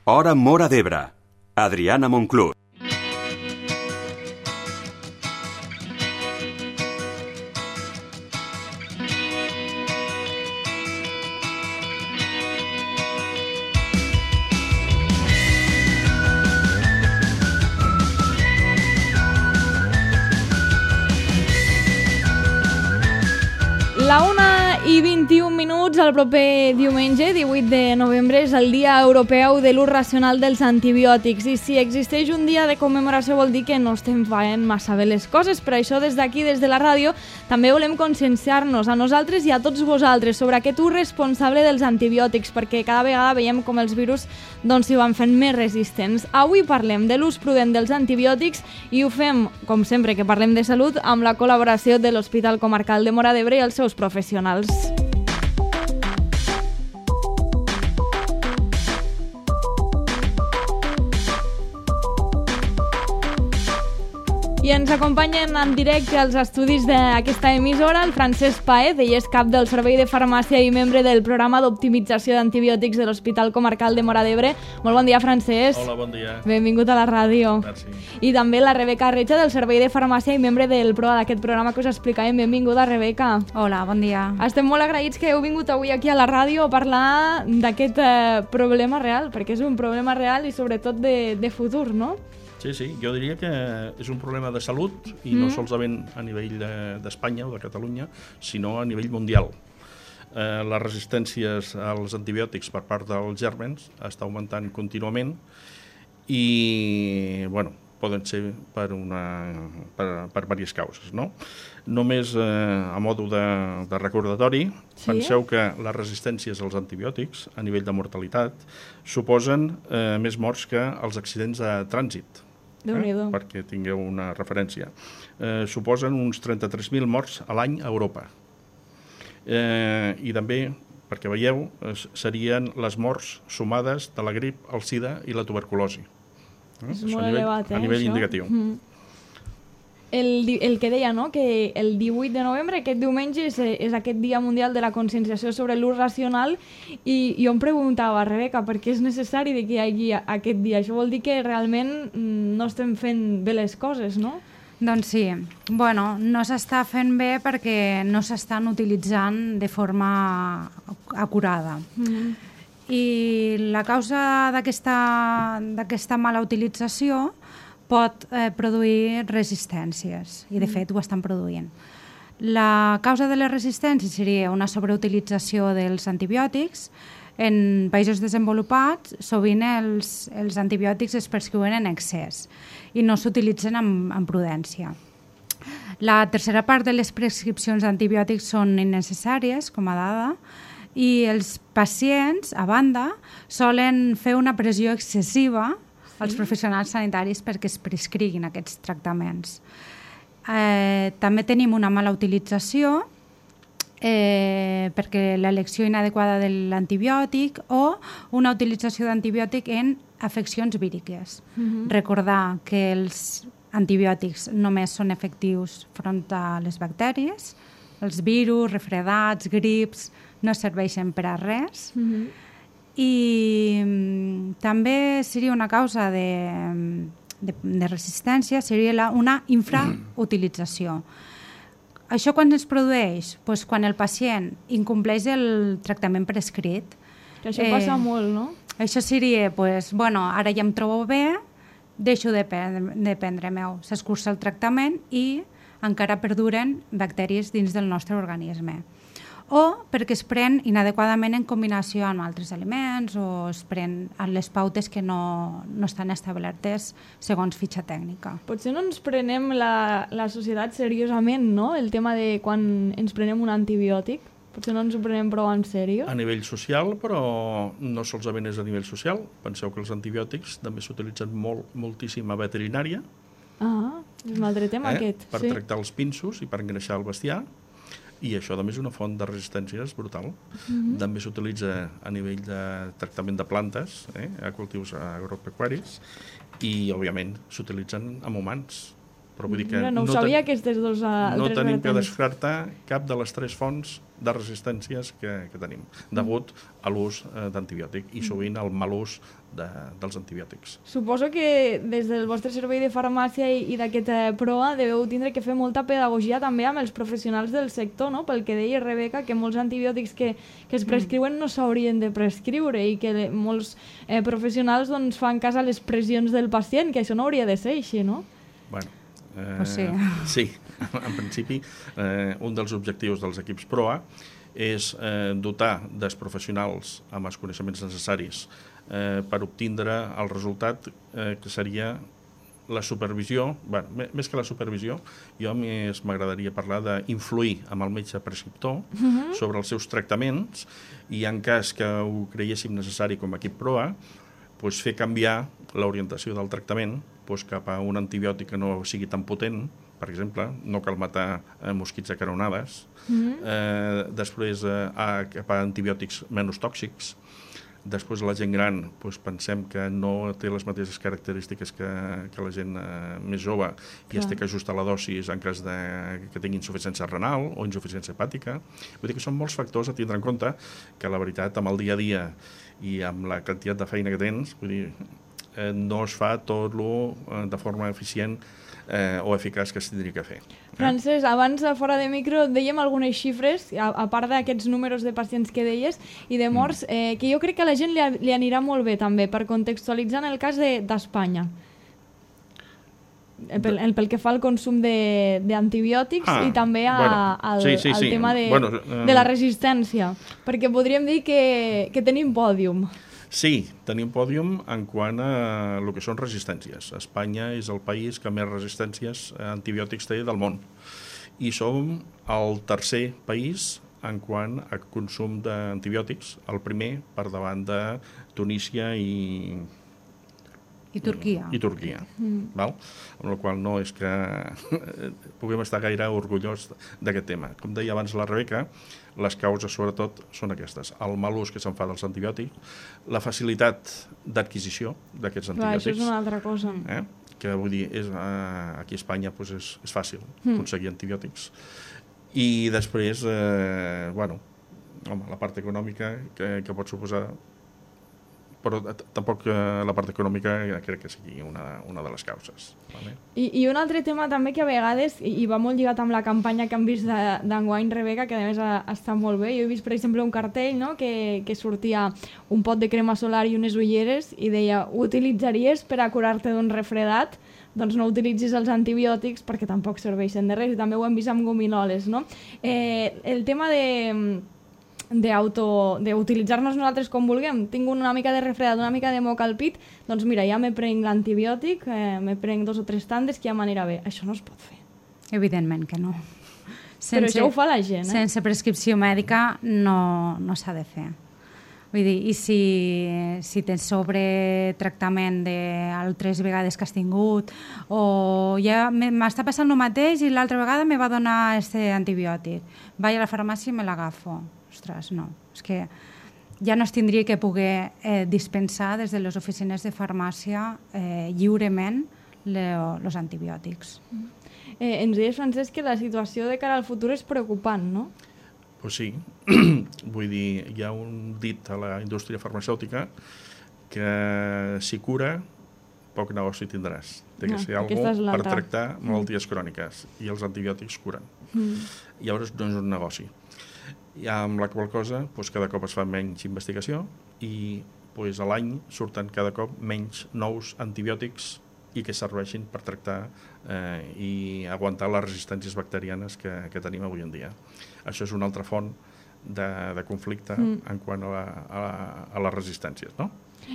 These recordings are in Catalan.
Hora Móra d'Ebre. Adriana Monclús. La 1:21, el proper diumenge, 18 de novembre, és el Dia Europeu de l'Ús Racional dels Antibiòtics. I si existeix un dia de commemoració vol dir que no estem fent massa bé les coses. Per això, des d'aquí, des de la ràdio, també volem conscienciar-nos a nosaltres i a tots vosaltres sobre aquest ús responsable dels antibiòtics, perquè cada vegada veiem com els virus s'hi van fent més resistents. Avui parlem de l'ús prudent dels antibiòtics i ho fem, com sempre que parlem de salut, amb la col·laboració de l'Hospital Comarcal de Móra d'Ebre i els seus professionals. I ens acompanyen en directe als estudis d'aquesta emissora el Francesc Paez, ell és cap del Servei de Farmàcia i membre del programa d'optimització d'antibiòtics de l'Hospital Comarcal de Móra d'Ebre. Molt bon dia, Francesc. Hola, bon dia. Benvingut a la ràdio. Merci. I també la Rebeca Recha del Servei de Farmàcia i membre del PROA d'aquest programa que us explicàvem. Benvinguda, Rebeca. Hola, bon dia. Estem molt agraïts que heu vingut avui aquí a la ràdio a parlar d'aquest problema real, perquè és un problema real i sobretot de futur, no? Sí, jo diria que és un problema de salut i no solament a nivell d'Espanya o de Catalunya, sinó a nivell mundial. Les resistències als antibiòtics per part dels gèrmens està augmentant contínuament i, poden ser per diverses causes, no? Només a modo de recordatori, penseu que les resistències als antibiòtics a nivell de mortalitat suposen més morts que els accidents de trànsit. Perquè tingueu una referència. Suposen uns 33.000 morts a l'any a Europa. I també, perquè veieu, serien les morts sumades de la grip, el sida i la tuberculosi. És molt elevat, a nivell indicatiu. El que deia, no?, que el 18 de novembre, aquest diumenge, és aquest Dia Mundial de la Conscienciació sobre l'Ús Racional i jo em preguntava, Rebeca, per què és necessari que hi hagi aquest dia? Això vol dir que realment no estem fent bé les coses, no? Doncs sí. No s'està fent bé perquè no s'estan utilitzant de forma acurada. I la causa d'aquesta mala utilització pot produir resistències, i de fet ho estan produint. La causa de les resistències seria una sobreutilització dels antibiòtics. En països desenvolupats, sovint els antibiòtics es prescriuen en excés i no s'utilitzen amb prudència. La tercera part de les prescripcions d'antibiòtics són innecessàries, com a dada, i els pacients, a banda, solen fer una pressió excessiva als professionals sanitaris perquè es prescriguin aquests tractaments. També tenim una mala utilització perquè l'elecció inadequada de l'antibiòtic o una utilització d'antibiòtic en afeccions víriques. Recordar que els antibiòtics només són efectius front a les bactèries, els virus, refredats, grips, no serveixen per a res. I també seria una causa de resistència, seria una infrautilització. Això quan es produeix? Pues quan el pacient incompleix el tractament prescrit. Que això passa molt, no? Això seria, ara ja em trobo bé, deixo de prendre-me-ho. S'escurça el tractament i encara perduren bactèries dins del nostre organisme. O perquè es pren inadequadament en combinació amb altres aliments o es pren a les pautes que no estan establertes segons fitxa tècnica. Potser no ens prenem la societat seriosament, no?, el tema de quan ens prenem un antibiòtic. Potser no ens ho prenem prou en sèrio. A nivell social, però no solament és a nivell social. Penseu que els antibiòtics també s'utilitzen moltíssim a veterinària. És un altre tema aquest. Per tractar els pinsos i per engreixar el bestiar. I això també és una font de resistències brutal. També s'utilitza a nivell de tractament de plantes, a cultius agropecuaris, i òbviament s'utilitzen amb humans. Però vull dir que no ho sabia, aquestes dues no altres tenim que vertents. descartar cap de les 3 fonts de resistències que tenim, degut a l'ús d'antibiòtic i sovint al mal ús dels antibiòtics. Suposo que des del vostre servei de farmàcia i d'aquest PROA deveu tindre que fer molta pedagogia també amb els professionals del sector, no? Pel que deia Rebeca, que molts antibiòtics que es prescriuen no s'haurien de prescriure i que molts professionals doncs, fan cas a les pressions del pacient, que això no hauria de ser així, no? Bueno, sí. Sí, en principi un dels objectius dels equips PROA és dotar dels professionals amb els coneixements necessaris per obtindre el resultat que seria la supervisió. Bé, més que la supervisió, jo m'agradaria parlar d'influir amb el metge prescriptor sobre els seus tractaments i en cas que ho creiéssim necessari com a equip PROA, doncs fer canviar l'orientació del tractament cap a un antibiòtic que no sigui tan potent, per exemple, no cal matar mosquits a caronades, després cap a antibiòtics menys tòxics, després la gent gran pensem que no té les mateixes característiques que la gent més jove i es té que ajustar la dosis en cas que tingui insuficiència renal o insuficiència hepàtica. Vull dir que són molts factors a tindre en compte que la veritat amb el dia a dia i amb la quantitat de feina que tens, vull dir, no es fa tot de forma eficient o eficaç que es tindria que fer. Francesc, abans fora de micro dèiem algunes xifres, a part d'aquests números de pacients que deies i de morts, que jo crec que a la gent li anirà molt bé també, per contextualitzar en el cas d'Espanya. Pel que fa al consum d'antibiòtics i també al tema de la resistència, perquè podríem dir que tenim pòdium. Sí, tenim pòdium en quant a el que són resistències. Espanya és el país que més resistències a antibiòtics té del món. I som el tercer país en quant a consum d'antibiòtics, el primer per davant de Tunísia i Turquia. Val? Amb la qual no és que puguem estar gaire orgullós d'aquest tema. Com deia abans la Rebeca, les causes sobretot són aquestes. El mal ús que se'n fa dels antibiòtics, la facilitat d'adquisició d'aquests antibiòtics. Això és una altra cosa. Que vull dir, aquí a Espanya és fàcil aconseguir antibiòtics. I després, la part econòmica que pot suposar, però tampoc la part econòmica crec que sigui una de les causes. Vale? I un altre tema també que a vegades, i va molt lligat amb la campanya que hem vist d'enguany, Rebeca, que a més està molt bé. Jo he vist, per exemple, un cartell, no?, que sortia un pot de crema solar i unes ulleres i deia, ho utilitzaries per a curar-te d'un refredat? Doncs no utilitzis els antibiòtics perquè tampoc serveixen de res, i també ho hem vist amb gominoles, no? El tema d'utilitzar-nos nosaltres com vulguem. Tinc una mica de refredat, una mica de moca al pit, doncs mira, ja me prenc l'antibiòtic, me prenc 2 o 3 tandes que ja m'anirà bé. Això no es pot fer. Evidentment que no. Però això ho fa la gent, Sense prescripció mèdica no s'ha de fer. Vull dir, i si tens sobretractament d'altres vegades que has tingut, o ja m'està passant el mateix i l'altra vegada me va donar aquest antibiòtic, vaig a la farmàcia i me l'agafo. Ostres, no. És que ja no es tindria que poder dispensar des de les oficines de farmàcia lliurement els antibiòtics. Ens deies, Francesc, que la situació de cara al futur és preocupant, no? Pues sí. Vull dir, hi ha un dit a la indústria farmacèutica que si cura, poc negoci tindràs. Té que ser alguna per tractar malalties cròniques i els antibiòtics curen. Llavors no és un negoci. I amb la qual cosa cada cop es fa menys investigació i a l'any surten cada cop menys nous antibiòtics i que serveixin per tractar i aguantar les resistències bacterianes que tenim avui en dia. Això és una altra font de conflicte en quant a les resistències, no?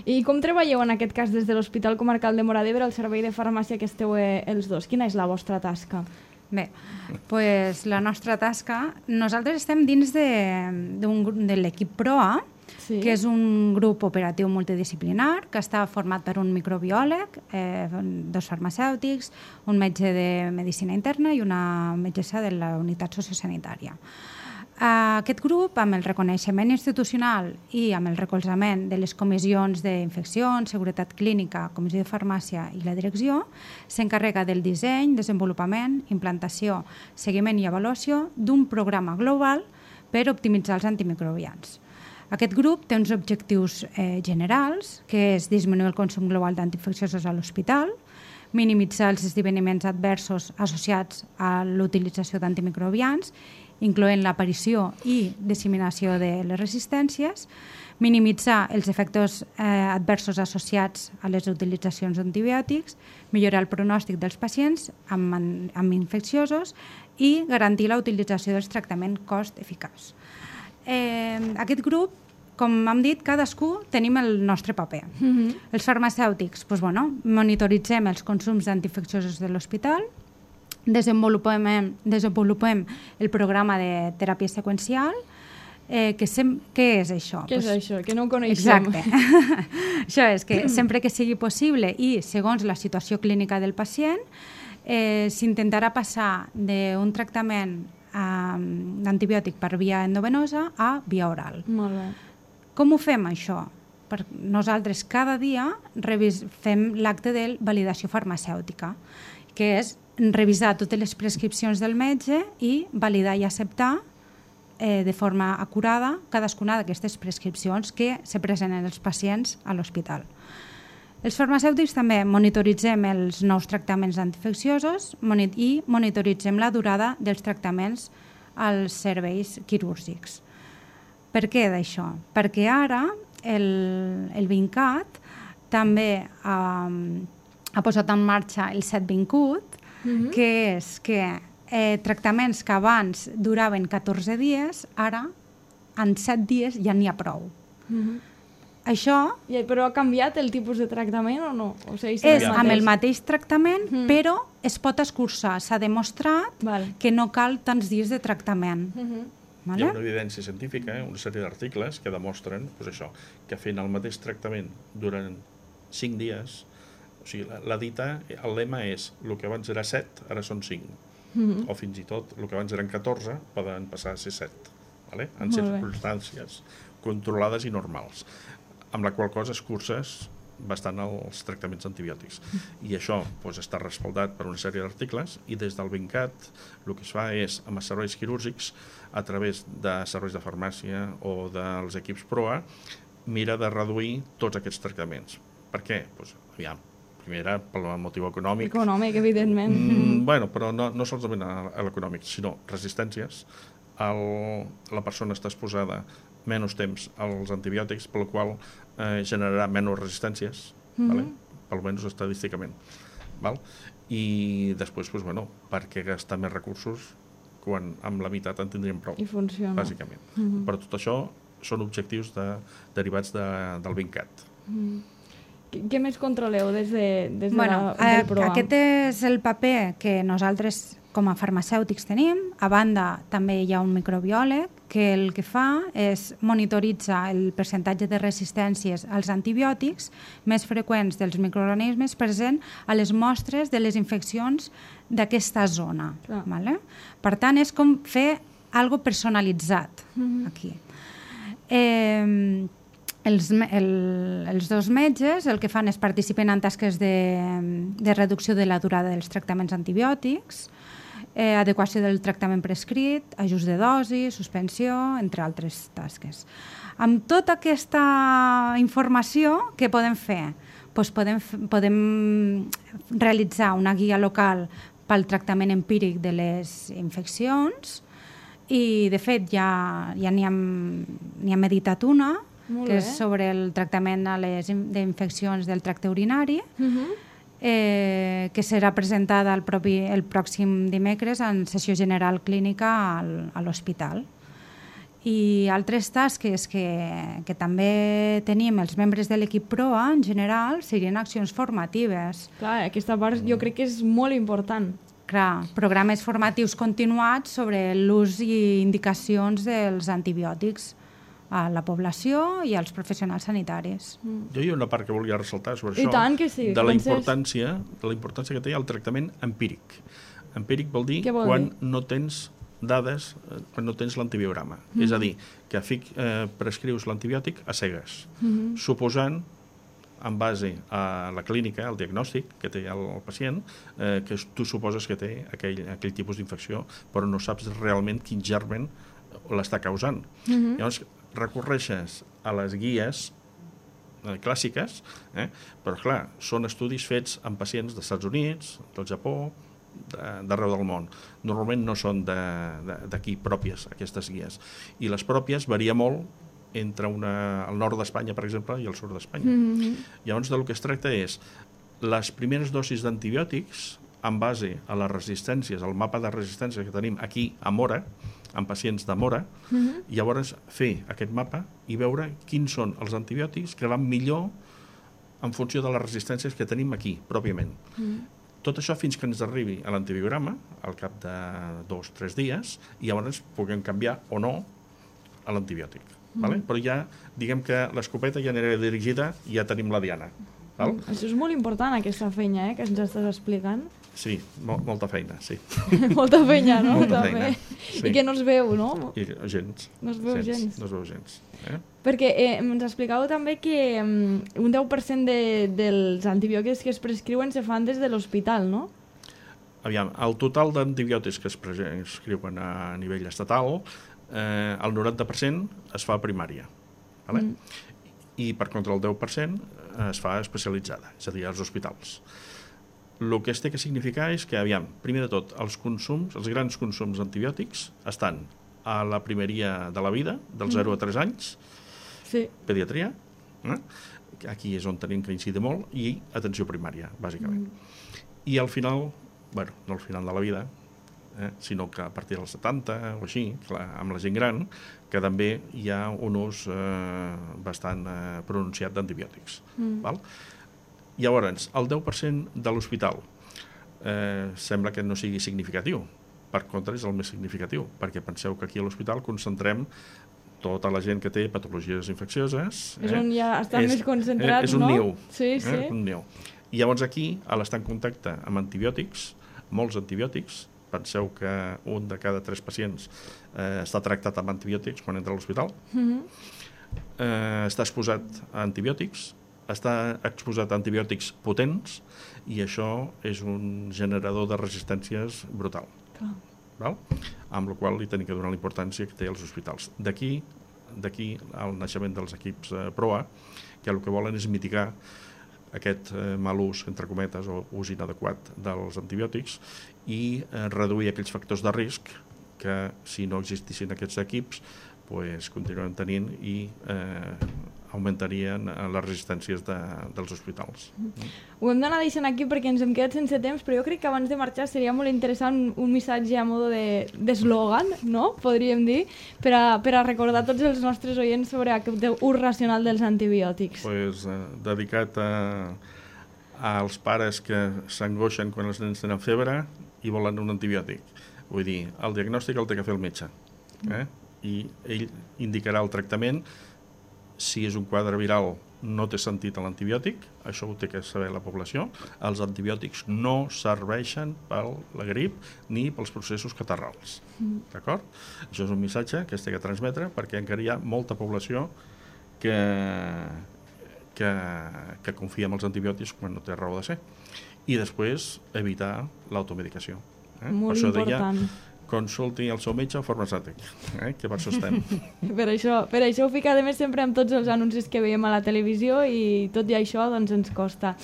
I com treballeu en aquest cas des de l'Hospital Comarcal de Móra d'Ebre, el servei de farmàcia que esteu els dos? Quina és la vostra tasca? Bé, doncs la nostra tasca, nosaltres estem dins de l'equip PROA, que és un grup operatiu multidisciplinar que està format per un microbiòleg, 2 farmacèutics, un metge de medicina interna i una metgessa de la unitat sociosanitària. Aquest grup, amb el reconeixement institucional i amb el recolzament de les comissions d'infeccions, seguretat clínica, comissió de farmàcia i la direcció, s'encarrega del disseny, desenvolupament, implantació, seguiment i avaluació d'un programa global per optimitzar els antimicrobians. Aquest grup té uns objectius generals, que és disminuir el consum global d'antiinfecciosos a l'hospital, minimitzar els esdeveniments adversos associats a l'utilització d'antimicrobians, incloent l'aparició i disseminació de les resistències, minimitzar els efectes adversos associats a les utilitzacions d'antibiòtics, millorar el pronòstic dels pacients amb infecciosos i garantir la utilització dels tractaments cost-eficaç. Aquest grup, com hem dit, cadascú tenim el nostre paper. Els farmacèutics, monitoritzem els consums d'antiinfecciosos de l'hospital, desenvolupem el programa de teràpia seqüencial. Què és això? Què és això? Que no ho coneixem. Exacte. Això és que sempre que sigui possible i segons la situació clínica del pacient, s'intentarà passar d'un tractament d'antibiòtic per via endovenosa a via oral. Molt bé. Com ho fem, això? Nosaltres cada dia fem l'acte de validació farmacèutica, que és revisar totes les prescripcions del metge i validar i acceptar de forma acurada cadascuna d'aquestes prescripcions que se presenten els pacients a l'hospital. Els farmacèutics també monitoritzem els nous tractaments antiinfecciosos i monitoritzem la durada dels tractaments als serveis quirúrgics. Per què d'això? Perquè ara el VINCAT també ha posat en marxa el 720CUT, que és que tractaments que abans duraven 14 dies, ara en 7 dies ja n'hi ha prou. Això... Però ha canviat el tipus de tractament o no? És amb el mateix tractament, però es pot escurçar. S'ha demostrat que no cal tants dies de tractament. Hi ha una evidència científica, una sèrie d'articles que demostren que fent el mateix tractament durant 5 dies, o sigui, la dita, el lema és el que abans era 7, ara són 5. O fins i tot el que abans eren 14 poden passar a ser 7, en circumstàncies controlades i normals, amb la qual cosa escurces bastant els tractaments antibiòtics. I això està respaldat per una sèrie d'articles i des del VINCAT el que es fa és, amb els serveis quirúrgics, a través de serveis de farmàcia o dels equips PROA, mira de reduir tots aquests tractaments. Per què? Primera, pel motiu econòmic. Econòmic, evidentment. Però no solament a l'econòmic, sinó resistències. La persona està exposada menys temps als antibiòtics, pel qual generarà menys resistències, almenys estadísticament. I després, per què gastar més recursos quan amb la meitat en tindríem prou? I funciona. Bàsicament. Però tot això són objectius derivats del VINCAT. Què més controleu des del PROA? Aquest és el paper que nosaltres com a farmacèutics tenim. A banda, també hi ha un microbiòleg que el que fa és monitoritzar el percentatge de resistències als antibiòtics més freqüents dels microorganismes presents a les mostres de les infeccions d'aquesta zona. Per tant, és com fer alguna cosa personalitzat aquí. Els dos metges el que fan és participen en tasques de reducció de la durada dels tractaments antibiòtics, adequació del tractament prescrit, ajust de dosi, suspensió, entre altres tasques. Amb tota aquesta informació, què podem fer? Podem realitzar una guia local pel tractament empíric de les infeccions i, de fet, ja n'hi ha meditat una, que és sobre el tractament d'infeccions del tracte urinari, que serà presentada el pròxim dimecres en sessió general clínica a l'hospital. I altres tasques que també tenim els membres de l'equip PROA, en general, serien accions formatives. Clar, aquesta part jo crec que és molt important. Clar, programes formatius continuats sobre l'ús i indicacions dels antibiòtics a la població i als professionals sanitaris. Jo hi ha una part que volia ressaltar sobre això. I tant que sí. De la importància que té el tractament empíric. Empíric vol dir quan no tens dades quan no tens l'antibiograma. És a dir, que prescrius l'antibiòtic a cegues, suposant, en base a la clínica, al diagnòstic que té el pacient, que tu suposes que té aquell tipus d'infecció, però no saps realment quin germen l'està causant. Llavors, recorreixes a les guies clàssiques, però clar, són estudis fets amb pacients dels Estats Units, del Japó, d'arreu del món. Normalment no són d'aquí pròpies, aquestes guies. I les pròpies varia molt entre el nord d'Espanya, per exemple, i el sud d'Espanya. Llavors, del que es tracta és les primeres dosis d'antibiòtics en base a les resistències, al mapa de resistències que tenim aquí a Mora, en pacients de Mora, llavors fer aquest mapa i veure quins són els antibiòtics que van millor en funció de les resistències que tenim aquí, pròpiament. Tot això fins que ens arribi a l'antibiograma, al cap de 2 o 3 dies, i llavors puguem canviar o no a l'antibiòtic. Però ja, diguem que l'escopeta ja anirà dirigida i ja tenim la diana. Això és molt important, aquesta feina que ens estàs explicant. Sí, molta feina, sí. Molta feina, no? Molta feina, sí. I que no es veu, no? Gens. No es veu gens. No es veu gens. Perquè ens explicàveu també que un 10% dels antibiòtics que es prescriuen se fan des de l'hospital, no? Aviam, el total d'antibiòtics que es prescriuen a nivell estatal, el 90% es fa a primària. I, per contra, el 10% es fa especialitzada, és a dir, als hospitals. El que es té que significar és que, aviam, primer de tot, els grans consums d'antibiòtics estan a la primeria de la vida, dels 0 a 3 anys, pediatria, aquí és on tenim que incidir molt, i atenció primària, bàsicament. I al final, bueno, no al final de la vida, sinó que a partir dels 70 o així, clar, amb la gent gran, que també hi ha un ús bastant pronunciat d'antibiòtics. Llavors, el 10% de l'hospital sembla que no sigui significatiu. Per contra, és el més significatiu, perquè penseu que aquí a l'hospital concentrem tota la gent que té patologies infeccioses. És on ja estan més concentrats, no? És un niu. Sí, sí. Un niu. I llavors aquí, a l'estar en contacte amb antibiòtics, molts antibiòtics, penseu que un de cada 3 pacients està tractat amb antibiòtics quan entra a l'hospital, està exposat a antibiòtics, està exposat a antibiòtics potents, i això és un generador de resistències brutal. Amb la qual li tenim que donar la importància que té als hospitals. D'aquí el naixement dels equips PROA, que el que volen és mitigar aquest mal ús, entre cometes, o ús inadequat dels antibiòtics, i reduir aquells factors de risc que, si no existissin aquests equips, continuem tenint i augmentarien les resistències dels hospitals. Ho hem d'anar deixant aquí perquè ens hem quedat sense temps, però jo crec que abans de marxar seria molt interessant un missatge a modo d'eslògan, no? Podríem dir, per a recordar tots els nostres oients sobre aquest ús racional dels antibiòtics. Dedicat als pares que s'angoixen quan els nens tenen febre i volen un antibiòtic. Vull dir, el diagnòstic el té que fer el metge, i ell indicarà el tractament. Si és un quadre viral, no té sentit l'antibiòtic, això ho té que saber la població. Els antibiòtics no serveixen per la grip ni pels processos catarrals. D'acord? Això és un missatge que es té que transmetre perquè encara hi ha molta població que confia en els antibiòtics quan no té raó de ser. I després evitar l'automedicació. Molt important. Consulti el seu metge o farmacèutic, que per això estem. Per això ho fica, a més, sempre amb tots els anuncis que veiem a la televisió, i tot i això doncs ens costa.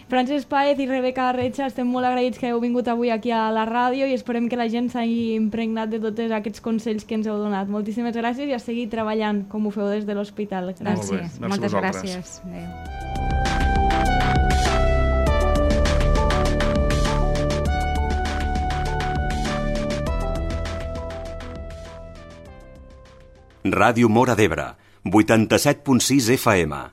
Francesc Páez i Rebeca Arretxa, estem molt agraïts que heu vingut avui aquí a la ràdio i esperem que la gent s'hagi impregnat de tots aquests consells que ens heu donat. Moltíssimes gràcies i a seguir treballant com ho feu des de l'hospital. Gràcies. Moltes gràcies. Adéu. Ràdio Móra d'Ebre, 87.6 FM.